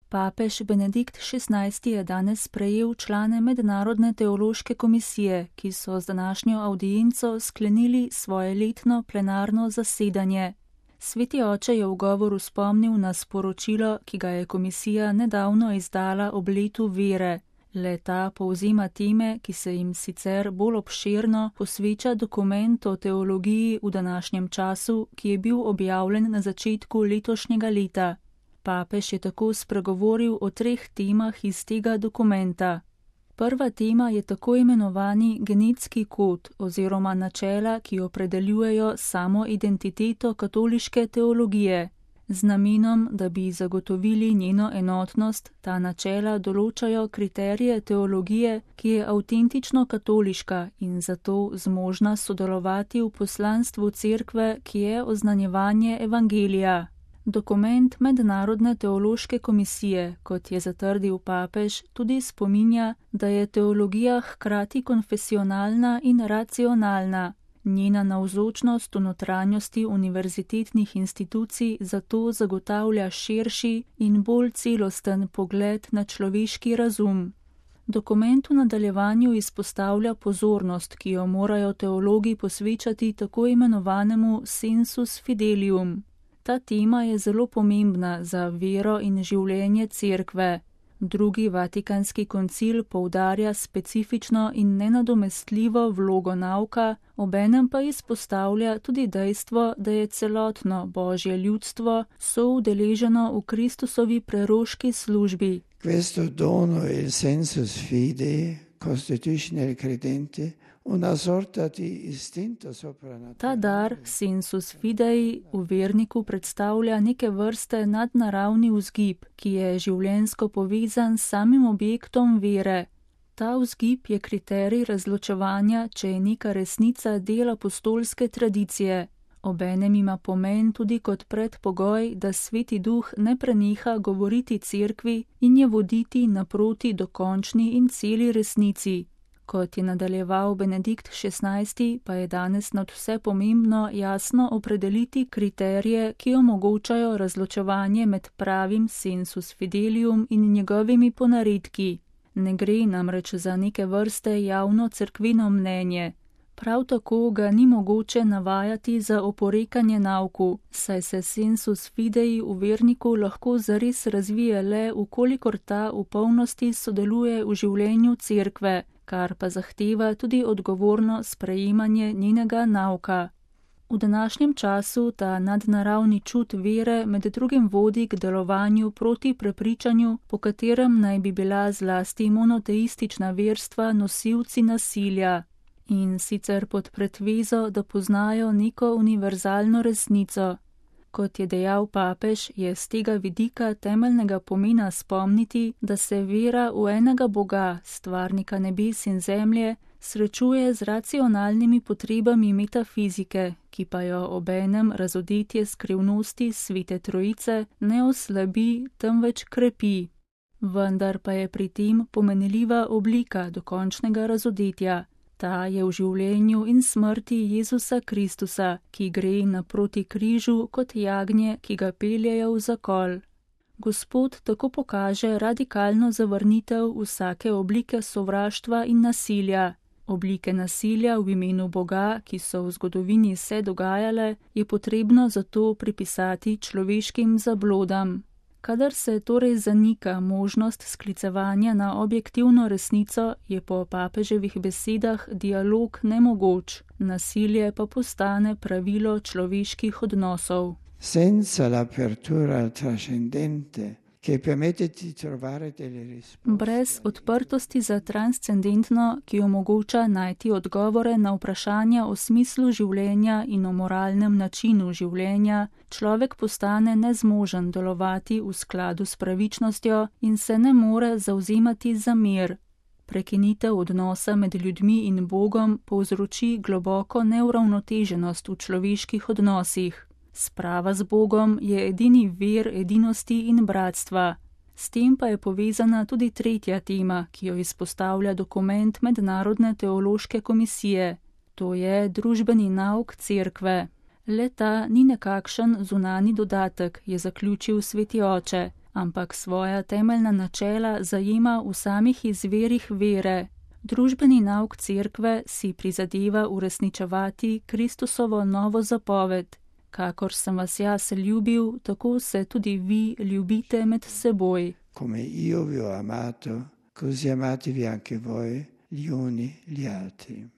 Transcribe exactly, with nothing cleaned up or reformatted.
Papež Benedikt šestnajsti je danes sprejel člane Mednarodne teološke komisije, ki so z današnjo avdienco sklenili svoje letno plenarno zasedanje. Sveti oče je v govoru spomnil na sporočilo, ki ga je komisija nedavno izdala ob letu vere. Le-ta povzema teme, ki se jim sicer bolj obširno posveča dokument o teologiji v današnjem času, ki je bil objavljen na začetku letošnjega leta. Papež je tako spregovoril o treh temah iz tega dokumenta. Prva tema je tako imenovani genetski kod oziroma načela, ki opredeljujejo samo identiteto katoliške teologije. Z namenom, da bi zagotovili njeno enotnost, ta načela določajo kriterije teologije, ki je avtentično katoliška in zato zmožna sodelovati v poslanstvu cerkve, ki je oznanjevanje evangelija. Dokument Mednarodne teološke komisije, kot je zatrdil papež, tudi spominja, da je teologija hkrati konfesionalna in racionalna. Njena navzočnost v notranjosti univerzitetnih institucij zato zagotavlja širši in bolj celosten pogled na človeški razum. Dokument v nadaljevanju izpostavlja pozornost, ki jo morajo teologi posvečati tako imenovanemu sensus fidelium. Ta tema je zelo pomembna za vero in življenje cerkve. Drugi vatikanski koncil poudarja specifično in nenadomestljivo vlogo nauka, obenem pa izpostavlja tudi dejstvo, da je celotno božje ljudstvo soudeleženo v Kristusovi preroški službi. Questo dono il sensus fidei constituisce il credente una sorta di istinto soprannaturale. Ta dar, sensus fidei, v verniku predstavlja neke vrste nadnaravni vzgib, ki je življenjsko povezan s samim objektom vere. Ta vzgib je kriterij razločevanja, če je neka resnica del apostolske tradicije. Obenem ima pomen tudi kot predpogoj, da Sveti Duh ne preneha govoriti cerkvi in je voditi naproti dokončni in celi resnici. Kot je nadaljeval Benedikt šestnajsti, pa je danes nadvse pomembno jasno opredeliti kriterije, ki omogočajo razločevanje med pravim sensus fidelium in njegovimi ponaredki. Ne gre namreč za neke vrste javno cerkveno mnenje. Prav tako ga ni mogoče navajati za oporekanje nauku, saj se sensus fidei v verniku lahko zares razvije le, ukolikor ta v polnosti sodeluje v življenju cerkve, kar pa zahteva tudi odgovorno sprejemanje njenega nauka. V današnjem času ta nadnaravni čut vere med drugim vodi k delovanju proti prepričanju, po katerem naj bi bila zlasti monoteistična verstva nosilci nasilja. In sicer pod pretvezo, da poznajo neko univerzalno resnico. Kot je dejal papež, je z tega vidika temeljnega pomena spomniti, da se vera v enega Boga, stvarnika nebes in zemlje, srečuje z racionalnimi potrebami metafizike, ki pa jo obenem razodetje skrivnosti Svete Trojice ne oslabi, temveč krepi. Vendar pa je pri tem pomenljiva oblika dokončnega razodetja. Ta je v življenju in smrti Jezusa Kristusa, ki gre naproti križu kot jagnje, ki ga peljejo v zakol. Gospod tako pokaže radikalno zavrnitev vsake oblike sovraštva in nasilja. Oblike nasilja v imenu Boga, ki so v zgodovini se dogajale, je potrebno zato pripisati človeškim zablodam. Kadar se torej zanika možnost sklicevanja na objektivno resnico, je po papeževih besedah dialog nemogoč, nasilje pa postane pravilo človeških odnosov. Senza l'apertura al trascendente, che permette di trovare delle risposte. Brez odprtosti za transcendentno, ki omogoča najti odgovore na vprašanja o smislu življenja in o moralnem načinu življenja, človek postane nezmožen delovati v skladu s pravičnostjo in se ne more zavzemati za mir. Prekinitev odnosa med ljudmi in Bogom povzroči globoko neuravnoteženost v človeških odnosih. Sprava z Bogom je edini vir edinosti in bratstva. S tem pa je povezana tudi tretja tema, ki jo izpostavlja dokument Mednarodne teološke komisije. To je družbeni nauk cerkve. Le ta ni nekakšen zunani dodatek, je zaključil Sveti oče, ampak svoja temeljna načela zajema v samih izvirih vere. Družbeni nauk cerkve si prizadeva uresničevati Kristusovo novo zapoved: kakor sem vas jaz ljubil, tako se tudi vi ljubite med seboj. Come io vi ho amato, così amatevi anche voi gli uni gli altri.